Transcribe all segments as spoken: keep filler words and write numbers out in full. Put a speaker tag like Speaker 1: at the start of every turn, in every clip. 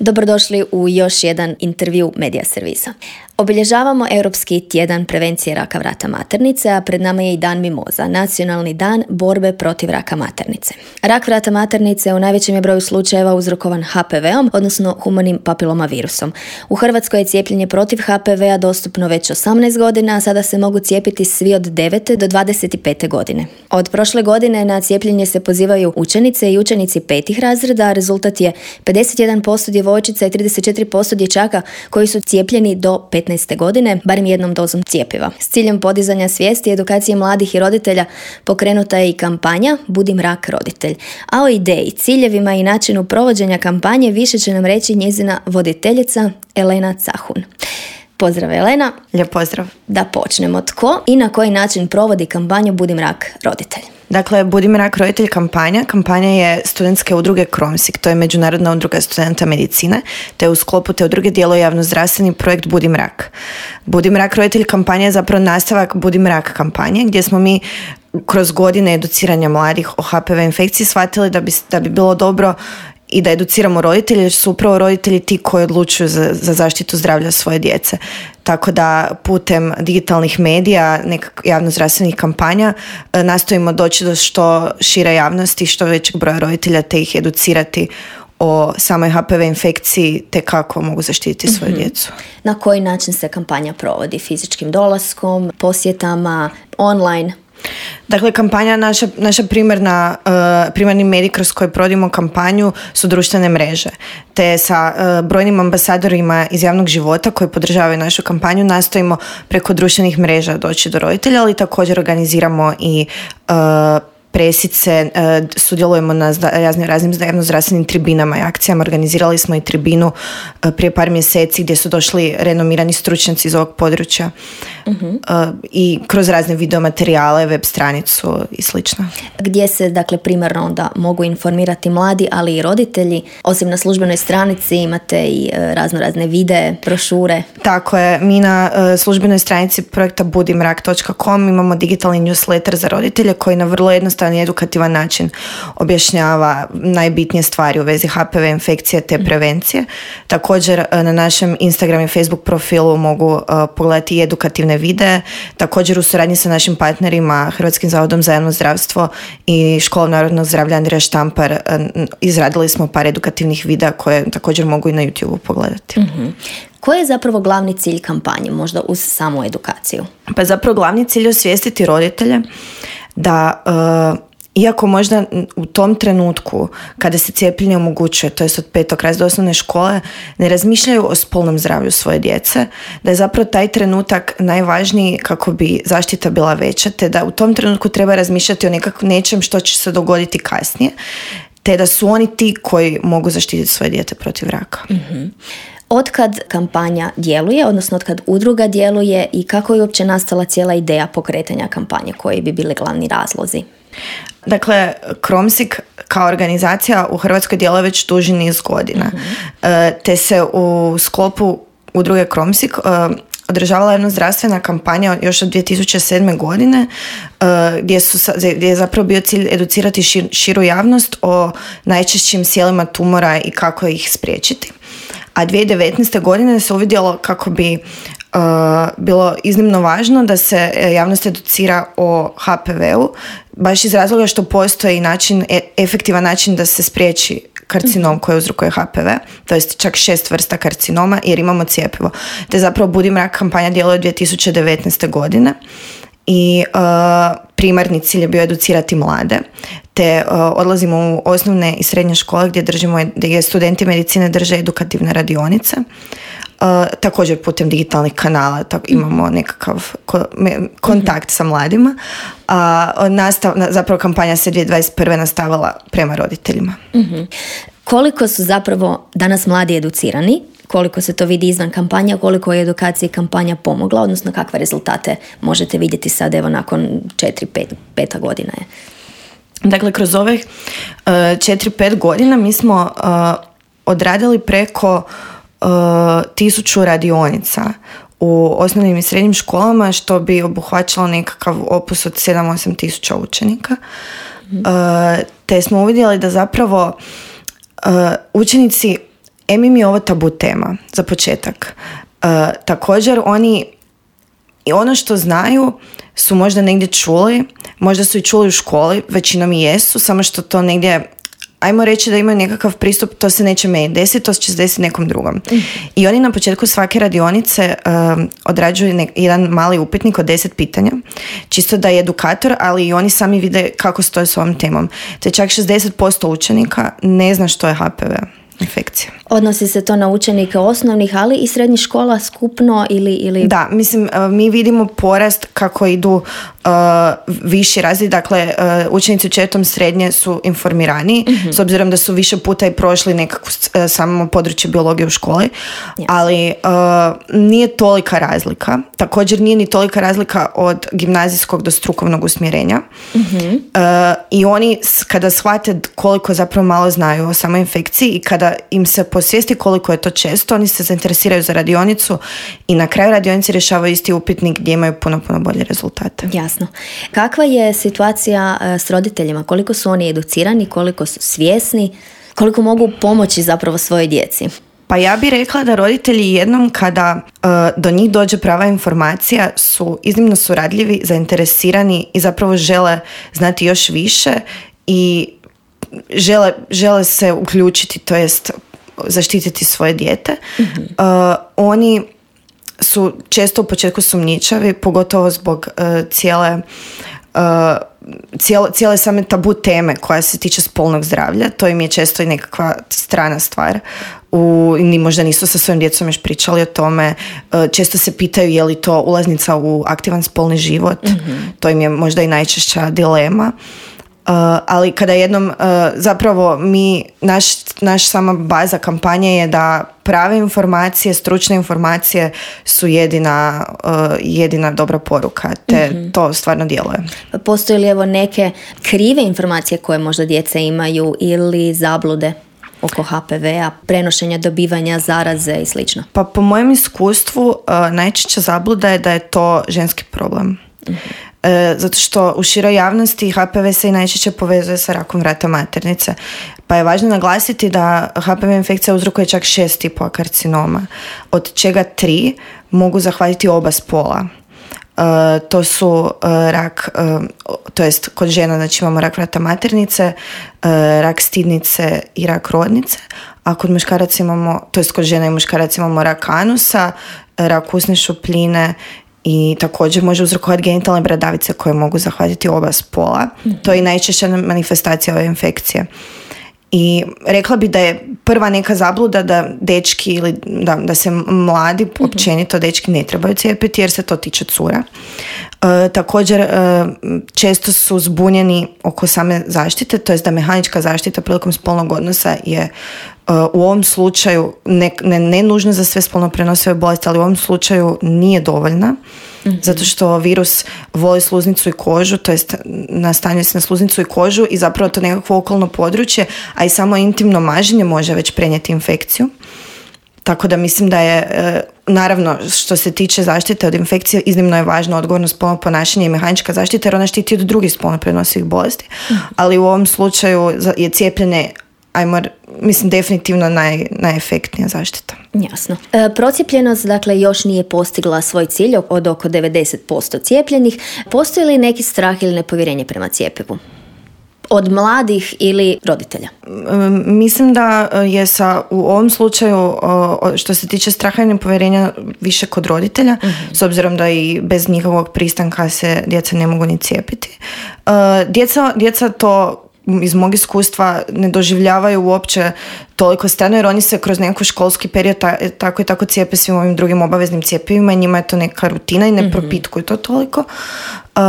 Speaker 1: Dobrodošli u još jedan intervju Medija servisa. Obilježavamo Europski tjedan prevencije raka vrata maternice, a pred nama je i Dan mimoza, nacionalni dan borbe protiv raka maternice. Rak vrata maternice u najvećem je broju slučajeva uzrokovan ha pe veom, odnosno humanim papilomavirusom. U Hrvatskoj je cijepljenje protiv ha pe vea dostupno već osamnaest godina, a sada se mogu cijepiti svi od devete do dvadeset pete godine. Od prošle godine na cijepljenje se pozivaju učenice i učenici petih razreda, a rezultat je pedeset jedan posto djevojčica i trideset četiri posto dječaka koji su cijepljeni do petnaeste godine, barem jednom dozom cjepiva. S ciljem podizanja svijesti i edukacije mladih i roditelja pokrenuta je i kampanja Budim rak roditelj. A o ideji, ciljevima i načinu provođenja kampanje više će nam reći njezina voditeljica Elena Cahun. Pozdrav Elena.
Speaker 2: Lijep pozdrav.
Speaker 1: Da počnemo. Tko i na koji način provodi kampanju Budim rak roditelj?
Speaker 2: Dakle, Budim rak roditelj kampanja. Kampanja je studentske udruge Kromsik, to je Međunarodna udruga studenta medicine, te u sklopu te udruge djeluje javnozdravstveni projekt Budim rak. Budim rak roditelj kampanja je zapravo nastavak Budim rak kampanje, gdje smo mi kroz godine educiranja mladih o ha pe ve infekciji shvatili da bi, da bi bilo dobro i da educiramo roditelje, jer su upravo roditelji ti koji odlučuju za, za zaštitu zdravlja svoje djece. Tako da putem digitalnih medija, nekak javnozdravstvenih kampanja nastojimo doći do što šire javnosti, što većeg broja roditelja, te ih educirati o samoj ha pe ve infekciji te kako mogu zaštititi svoju mm-hmm. djecu.
Speaker 1: Na koji način se kampanja provodi? Fizičkim dolaskom, posjetama, online?
Speaker 2: Dakle, kampanja, naša, naša primarna, uh, primarni medij kroz koji provodimo kampanju su društvene mreže. Te sa uh, brojnim ambasadorima iz javnog života koji podržavaju našu kampanju nastojimo preko društvenih mreža doći do roditelja, ali također organiziramo i uh, presice, uh, sudjelujemo na raznim, raznim javnozdravstvenim tribinama i akcijama. Organizirali smo i tribinu uh, prije par mjeseci gdje su došli renomirani stručnjaci iz ovog područja. Uh-huh. Uh, i kroz razne videomaterijale, web stranicu i slično.
Speaker 1: Gdje se, dakle, primarno onda mogu informirati mladi, ali i roditelji? Osim na službenoj stranici imate i uh, razno razne videe, brošure.
Speaker 2: Tako je, mi na uh, službenoj stranici projekta budim rak točka com imamo digitalni newsletter za roditelje koji na vrlo jednostavan i edukativan način objašnjava najbitnije stvari u vezi ha pe ve infekcije te prevencije. Uh-huh. Također uh, na našem Instagram i Facebook profilu mogu uh, pogledati i edukativne videe. Također u suradnji sa našim partnerima Hrvatskim zavodom za javno zdravstvo i Školom narodnog zdravlja Andrija Štampar izradili smo par edukativnih videa koje također mogu i na YouTubeu pogledati.
Speaker 1: Mm-hmm. Koji je zapravo glavni cilj kampanje, možda uz samu edukaciju?
Speaker 2: Pa zapravo glavni cilj je osvijestiti roditelje da uh, iako možda u tom trenutku kada se cijepljenje omogućuje, to jest od petog razreda osnovne škole, ne razmišljaju o spolnom zdravlju svoje djece, da je zapravo taj trenutak najvažniji kako bi zaštita bila veća, te da u tom trenutku treba razmišljati o nekakvom nečem što će se dogoditi kasnije, te da su oni ti koji mogu zaštititi svoje dijete protiv raka.
Speaker 1: Mm-hmm. Otkad kampanja djeluje, odnosno otkad udruga djeluje i kako je uopće nastala cijela ideja pokretanja kampanje, koji bi bili glavni razlozi?
Speaker 2: Dakle, Kromsik kao organizacija u Hrvatskoj djeluje već duži niz godina. Mm-hmm. Te se u sklopu udruge Kromsik održavala jedna zdravstvena kampanja još od dvije tisuće sedme godine gdje, su, gdje je zapravo bio cilj educirati šir, širu javnost o najčešćim sjelima tumora i kako ih spriječiti. A dvije tisuće devetnaeste godine se uvidjelo kako bi uh, bilo iznimno važno da se javnost educira o ha pe veu, baš iz razloga što postoji način, e, efektivan način da se spriječi karcinom koji uzrokuje ha pe ve, to jest čak šest vrsta karcinoma jer imamo cjepivo. Te zapravo Budim rak kampanja djeluje od dvije tisuće devetnaeste godine. I uh, primarni cilj je bio educirati mlade, te uh, odlazimo u osnovne i srednje škole gdje držimo, gdje studenti medicine drže edukativne radionice. Uh, također putem digitalnih kanala tako imamo nekakav ko, me, kontakt mm-hmm. sa mladima. A uh, nastav, zapravo kampanja se dvije tisuće dvadeset prve nastavila prema roditeljima.
Speaker 1: Mm-hmm. Koliko su zapravo danas mladi educirani? Koliko se to vidi izvan kampanja, koliko je edukaciji kampanja pomogla, odnosno kakve rezultate možete vidjeti sad, evo nakon četiri pet, peta godina je?
Speaker 2: Dakle, kroz ovih uh, četiri pet godina mi smo uh, odradili preko uh, tisuću radionica u osnovnim i srednjim školama, što bi obuhvaćalo nekakav opus od sedam osam tisuća učenika. Mm-hmm. Uh, te smo uvidjeli da zapravo uh, učenici em im je ovo tabu tema, za početak. Uh, također, oni i ono što znaju su možda negdje čuli, možda su i čuli u školi, većinom i jesu, samo što to negdje, ajmo reći da imaju nekakav pristup, to se neće meni desiti, to će se desiti nekom drugom. Mm. I oni na početku svake radionice um, odrađuju nek- jedan mali upitnik od deset pitanja, čisto da je edukator, ali i oni sami vide kako stoje s ovom temom. Te čak šezdeset posto učenika ne zna što je ha pe ve infekcija.
Speaker 1: Odnosi se to na učenike osnovnih, ali i srednjih škola skupno ili... ili...
Speaker 2: Da, mislim, mi vidimo porast kako idu uh, viši razred, dakle uh, učenici u četvrtom srednje su informirani, mm-hmm. s obzirom da su više puta i prošli nekako uh, samo područje biologije u školi, yes. ali uh, nije tolika razlika. Također nije ni tolika razlika od gimnazijskog do strukovnog usmjerenja. Mm-hmm. Uh, I oni kada shvate koliko zapravo malo znaju o samoj infekciji i kada im se posvijesti koliko je to često, oni se zainteresiraju za radionicu i na kraju radionice rješavaju isti upitnik gdje imaju puno, puno bolje rezultate.
Speaker 1: Jasno. Kakva je situacija s roditeljima? Koliko su oni educirani, koliko su svjesni, koliko mogu pomoći zapravo svojoj djeci?
Speaker 2: Pa ja bih rekla da roditelji jednom kada uh, do njih dođe prava informacija su iznimno suradljivi, zainteresirani i zapravo žele znati još više i žele, žele se uključiti, to jest zaštititi svoje dijete. Mm-hmm. Uh, oni su često u početku sumnjičavi, pogotovo zbog uh, cijele uh, cijele, cijele same tabu teme koja se tiče spolnog zdravlja. To im je često i nekakva strana stvar. U, ni možda nisu sa svojim djecom još pričali o tome. Uh, često se pitaju je li to ulaznica u aktivan spolni život. Mm-hmm. To im je možda i najčešća dilema. Uh, ali kada jednom uh, zapravo mi, naš, naš sama baza kampanje je da prave informacije, stručne informacije su jedina, uh, jedina dobra poruka, te mm-hmm. to stvarno djeluje.
Speaker 1: Postoje li evo neke krive informacije koje možda djeca imaju ili zablude oko ha pe ve a, prenošenja, dobivanja, zaraze i slično?
Speaker 2: Pa po mojem iskustvu uh, najčešća zabluda je da je to ženski problem. Mm-hmm. E, zato što u široj javnosti ha pe ve se i najčešće povezuje sa rakom vrata maternice. Pa je važno naglasiti da ha pe ve infekcija uzrokuje čak šest tipova karcinoma, od čega tri mogu zahvatiti oba spola. E, to su e, rak, e, to jest kod žena znači imamo rak vrata maternice, e, rak stidnice i rak rodnice, a kod muškaraca imamo, to jest kod žena i muškaraca imamo rak anusa, rak usne šupljine i također može uzrokovati genitalne bradavice koje mogu zahvatiti oba spola. Mm-hmm. To je najčešća manifestacija ove infekcije. I rekla bi da je prva neka zabluda da dečki ili da, da se mladi, mm-hmm. općenito dečki ne trebaju cijepiti jer se to tiče cura. E, također e, često su zbunjeni oko same zaštite, to jest da mehanička zaštita prilikom spolnog odnosa je u ovom slučaju ne, ne, ne nužno za sve spolno prenosive bolesti, ali u ovom slučaju nije dovoljna, mm-hmm. zato što virus voli sluznicu i kožu, to jest nastanjuje se na sluznicu i kožu i zapravo to nekakvo okolno područje, a i samo intimno maženje može već prenijeti infekciju. Tako da mislim da je, naravno, što se tiče zaštite od infekcije, iznimno je važno odgovorno spolno ponašanje i mehanička zaštita, jer ona štiti od drugih spolno prenosivih bolesti. Mm-hmm. Ali u ovom slučaju je cijepljenje, ajmo, mislim, definitivno naj, najefektnija zaštita.
Speaker 1: Jasno. E, procijepljenost, dakle, još nije postigla svoj cilj od oko devedeset posto cijepljenih. Postoji li neki strah ili nepovjerenje prema cjepivu? Od mladih ili roditelja?
Speaker 2: Mislim da je sa, u ovom slučaju što se tiče straha i nepovjerenja više kod roditelja, mm-hmm. s obzirom da i bez njihovog pristanka se djeca ne mogu ni cijepiti. Djeca, djeca to iz mog iskustva ne doživljavaju uopće toliko strano, jer oni se kroz neki školski period ta, tako i tako cijepe svim ovim drugim obaveznim cjepivima i njima je to neka rutina i ne mm-hmm. propitkuju to toliko. Uh,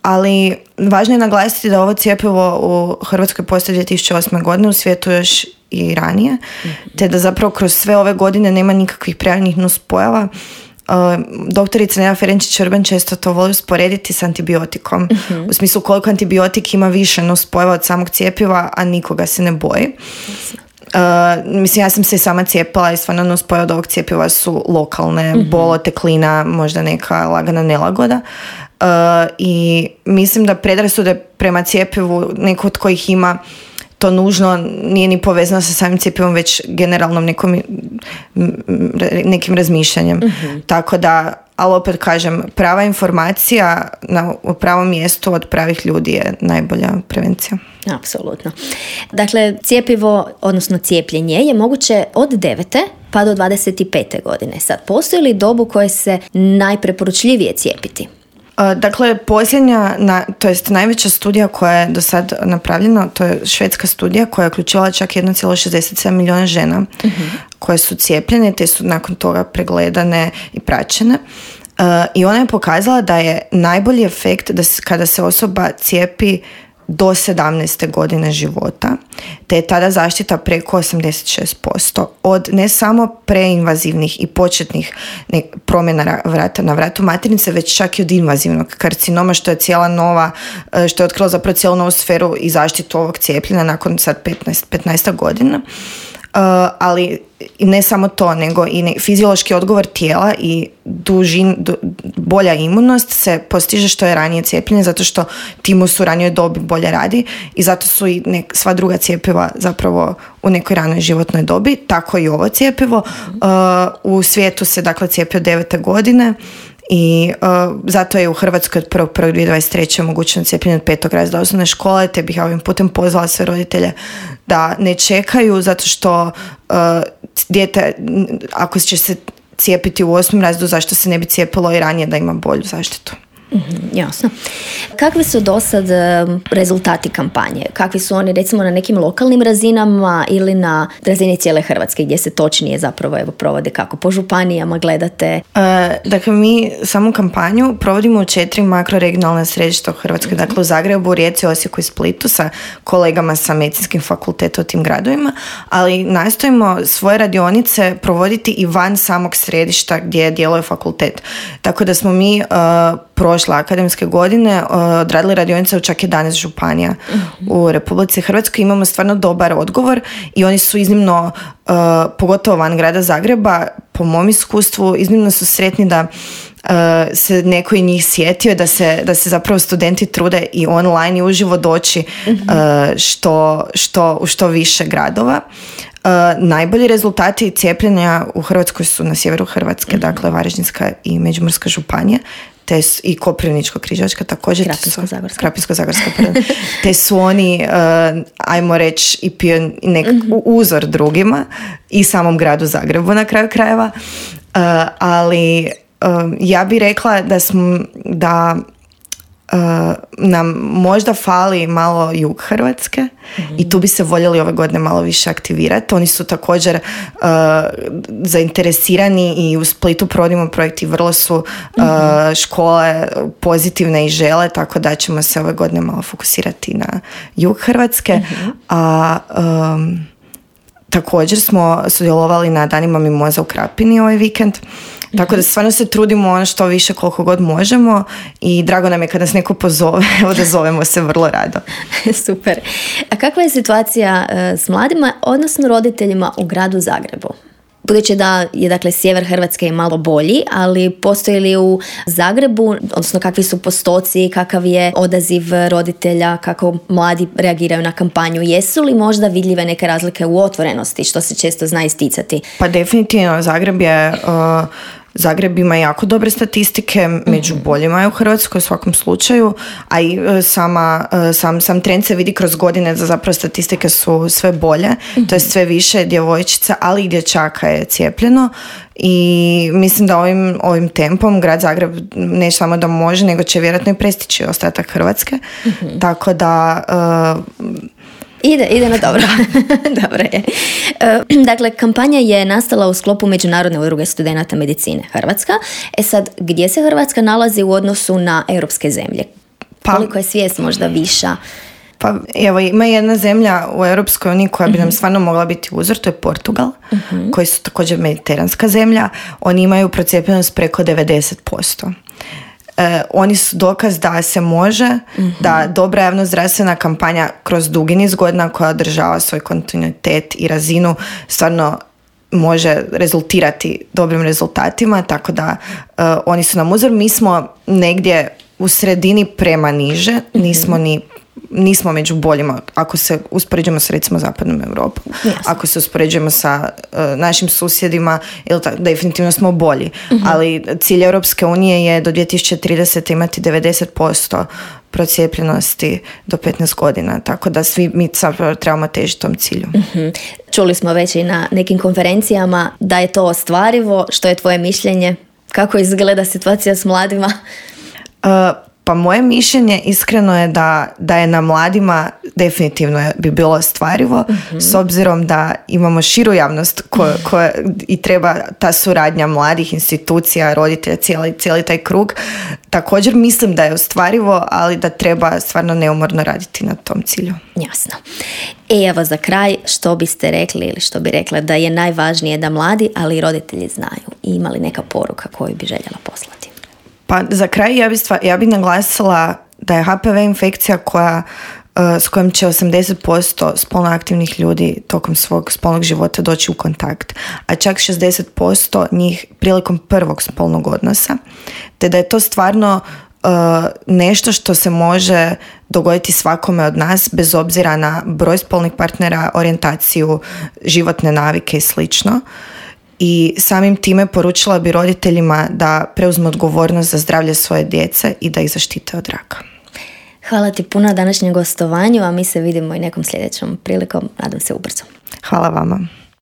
Speaker 2: ali važno je naglasiti da ovo cjepivo u Hrvatskoj postoji dvije tisuće osme. godine, u svijetu još i ranije, mm-hmm. te da zapravo kroz sve ove godine nema nikakvih prijavljenih nuspojava. Uh, doktorica Neda Ferenčić-Vrban često to voli usporediti s antibiotikom. Mm-hmm. U smislu koliko antibiotik ima više nuspojava od samog cjepiva, a nikoga se ne boji. Uh, mislim, ja sam se i sama cijepila i stvarno nuspojave od ovog cjepiva su lokalne, mm-hmm. bolo, teklina, možda neka lagana nelagoda. Uh, I mislim da predrasude prema cjepivu, neko od kojih ima to nužno nije ni povezano sa samim cjepivom, već generalnom nekom, nekim razmišljanjem. Mm-hmm. Tako da, ali opet kažem, prava informacija na u pravom mjestu od pravih ljudi je najbolja prevencija.
Speaker 1: Apsolutno. Dakle, cjepivo, odnosno cijepljenje je moguće od devete pa do dvadeset pete godine. Sad, postoji li dobu koje se najpreporučljivije cijepiti?
Speaker 2: Dakle, posljednja, na, to jest najveća studija koja je do sad napravljena, to je švedska studija koja je uključivala čak jedan zarez šezdeset sedam milijuna žena mm-hmm. koje su cijepljene, te su nakon toga pregledane i praćene. Uh, I ona je pokazala da je najbolji efekt da se, kada se osoba cijepi do sedamnaeste godine života, te je tada zaštita preko osamdeset šest posto od ne samo preinvazivnih i početnih ne, promjena vrata na vratu maternice, već čak i od invazivnog karcinoma, što je cijela nova, što je otkrilo zapravo cijelu novu sferu i zaštitu ovog cijepljenja nakon sad petnaest, petnaest godina. Uh, ali ne samo to, nego i ne, fiziološki odgovor tijela i dužin, du, bolja imunost se postiže što je ranije cijepljenje, zato što timus u ranijoj dobi bolje radi i zato su i nek, sva druga cjepiva zapravo u nekoj ranoj životnoj dobi, tako i ovo cjepivo. Uh, u svijetu se dakle cijepi od devete godine i uh, zato je u Hrvatskoj od prvog prvog dvije tisuće dvadeset treće omogućeno cijepljenje od petog razreda osnovne škole, te bih ja ovim putem pozvala sve roditelje da ne čekaju, zato što uh, dijete, ako će se cijepiti u osmom razredu, zašto se ne bi cijepilo i ranije da ima bolju zaštitu?
Speaker 1: Mm-hmm, jasno. Kakvi su do sad rezultati kampanje? Kakvi su oni recimo na nekim lokalnim razinama ili na razini cijele Hrvatske gdje se točnije zapravo evo provode, kako po županijama gledate?
Speaker 2: E, dakle, mi samu kampanju provodimo u četiri makroregionalna središta u Hrvatskoj, mm-hmm. dakle u Zagrebu, Rijeci, Osijeku i Splitu sa kolegama sa medicinskim fakultetom u tim gradovima, ali nastojimo svoje radionice provoditi i van samog središta gdje djeluje fakultet. Tako da smo mi uh, prošle akademske godine uh, odradili radionice u čak jedanaest županija mm-hmm. u Republici Hrvatskoj. Imamo stvarno dobar odgovor i oni su iznimno, uh, pogotovo van grada Zagreba, po mom iskustvu, iznimno su sretni da uh, se neko i njih sjetio, da se, da se zapravo studenti trude i online i uživo doći mm-hmm. uh, što, što, u što više gradova. Uh, najbolji rezultati cijepljenja u Hrvatskoj su na sjeveru Hrvatske, mm-hmm. dakle Varaždinska i Međimurska županija, te su, i Koprivničko-križevačka također,
Speaker 1: Krapinsko-zagorska,
Speaker 2: Krapinsko-zagorska te su oni, uh, ajmo reći, i pion, nek, mm-hmm. uzor drugima i samom gradu Zagrebu na kraju krajeva, uh, ali uh, ja bih rekla da smo, da Uh, nam možda fali malo jug Hrvatske mm-hmm. i tu bi se voljeli ove godine malo više aktivirati. Oni su također uh, zainteresirani i u Splitu provodimo projekt i vrlo su uh, mm-hmm. škole pozitivne i žele, tako da ćemo se ove godine malo fokusirati na jug Hrvatske. Mm-hmm. A um, također smo sudjelovali na danima mimoza u Krapini ovaj vikend. Tako da stvarno se trudimo ono što više koliko god možemo i drago nam je kad nas neko pozove, odazovemo se vrlo rado.
Speaker 1: Super. A kakva je situacija s mladima, odnosno roditeljima u gradu Zagrebu? Budući da je dakle sjever Hrvatske je malo bolji, ali postoji li u Zagrebu, odnosno kakvi su postoci, kakav je odaziv roditelja, kako mladi reagiraju na kampanju, jesu li možda vidljive neke razlike u otvorenosti, što se često zna isticati?
Speaker 2: Pa definitivno, Zagreb je... Uh, Zagreb ima jako dobre statistike, među mm-hmm. boljima je u Hrvatskoj u svakom slučaju, a i sama, sam, sam trend se vidi kroz godine da zapravo statistike su sve bolje, mm-hmm. to je sve više djevojčica, ali i dječaka je cijepljeno i mislim da ovim, ovim tempom grad Zagreb ne samo da može, nego će vjerojatno i prestići ostatak Hrvatske, mm-hmm. tako da... Uh,
Speaker 1: Ide, ide na dobro. Dobro je. Dakle, kampanja je nastala u sklopu Međunarodne udruge studenata medicine Hrvatska. E sad, gdje se Hrvatska nalazi u odnosu na europske zemlje? Pa, koliko je svijest možda viša?
Speaker 2: Pa evo, ima jedna zemlja u Europskoj uniji koja bi mm-hmm. nam stvarno mogla biti uzor, to je Portugal, mm-hmm. koji su također mediteranska zemlja. Oni imaju procijepljenost preko devedeset posto. Uh, oni su dokaz da se može, mm-hmm. da dobra javnozdravstvena kampanja kroz dugi niz godina koja održava svoj kontinuitet i razinu stvarno može rezultirati dobrim rezultatima, tako da uh, oni su nam uzor. Mi smo negdje u sredini prema niže, mm-hmm. nismo ni nismo među boljima ako se uspoređujemo s recimo zapadnom Europom.
Speaker 1: Jasno.
Speaker 2: Ako se uspoređujemo sa uh, našim susjedima, ili ta, definitivno smo bolji. Uh-huh. Ali cilj Europske unije je do dvije tisuće tridesete imati devedeset posto procijepljenosti do petnaest godina. Tako da svi mi zapravo trebamo težiti tom cilju.
Speaker 1: Uh-huh. Čuli smo već i na nekim konferencijama da je to ostvarivo. Što je tvoje mišljenje? Kako izgleda situacija s mladima?
Speaker 2: Uh, Pa moje mišljenje iskreno je da, da je na mladima definitivno bi bilo ostvarivo, mm-hmm. s obzirom da imamo širu javnost koja, koja i treba ta suradnja mladih institucija, roditelja, cijeli, cijeli taj krug. Također mislim da je ostvarivo, ali da treba stvarno neumorno raditi na tom cilju.
Speaker 1: Jasno. E evo za kraj, što biste rekli ili što bi rekla da je najvažnije da mladi, ali i roditelji znaju i imali neka poruka koju bi željela poslati?
Speaker 2: Pa za kraj ja bi, stvar, ja bi naglasila da je H P V infekcija koja, uh, s kojom će osamdeset posto spolno aktivnih ljudi tokom svog spolnog života doći u kontakt, a čak šezdeset posto njih prilikom prvog spolnog odnosa, te da je to stvarno uh, nešto što se može dogoditi svakome od nas bez obzira na broj spolnih partnera, orijentaciju, životne navike i slično. I samim time poručila bi roditeljima da preuzmu odgovornost za zdravlje svoje djece i da ih zaštite od raka.
Speaker 1: Hvala ti puno na današnjem gostovanju, a mi se vidimo i nekom sljedećom prilikom, nadam se ubrzo.
Speaker 2: Hvala vama.